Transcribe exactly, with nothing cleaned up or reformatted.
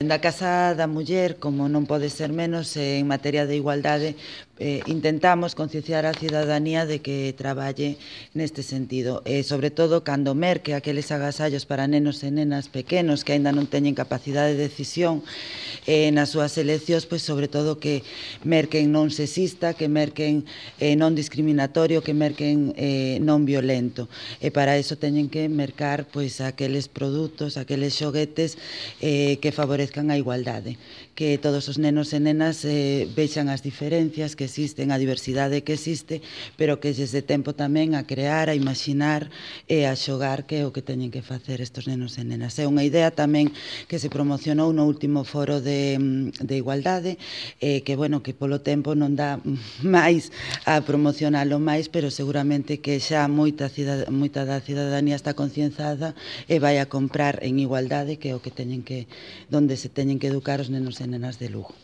Da Casa da Muller, como non pode ser menos, en materia de igualdade, eh, intentamos concienciar a cidadanía de que traballe neste sentido. E, sobre todo, cando merque aqueles agasallos para nenos e nenas pequenos que aínda non teñen capacidade de decisión eh, nas súas eleccións, pois, sobre todo, que merquen non sexista, que merquen eh, non discriminatorio, que merquen eh, non violento. E para iso teñen que mercar pois, aqueles produtos, aqueles xoguetes eh, que favorezcan a igualdade, que todos os nenos e nenas eh, vexan as diferencias que existen, a diversidade que existe, pero que lles dé tempo tamén a crear, a imaginar e a xogar, que é o que teñen que facer estos nenos e nenas. É unha idea tamén que se promocionou no último foro de, de igualdade, eh, que, bueno, que polo tempo non dá máis a promocionalo máis, pero seguramente que xa moita, moita da cidadanía está concienciada e vai a comprar en igualdade, que é o que teñen que, donde se teñen que educar os nenos e nenas de Lugo.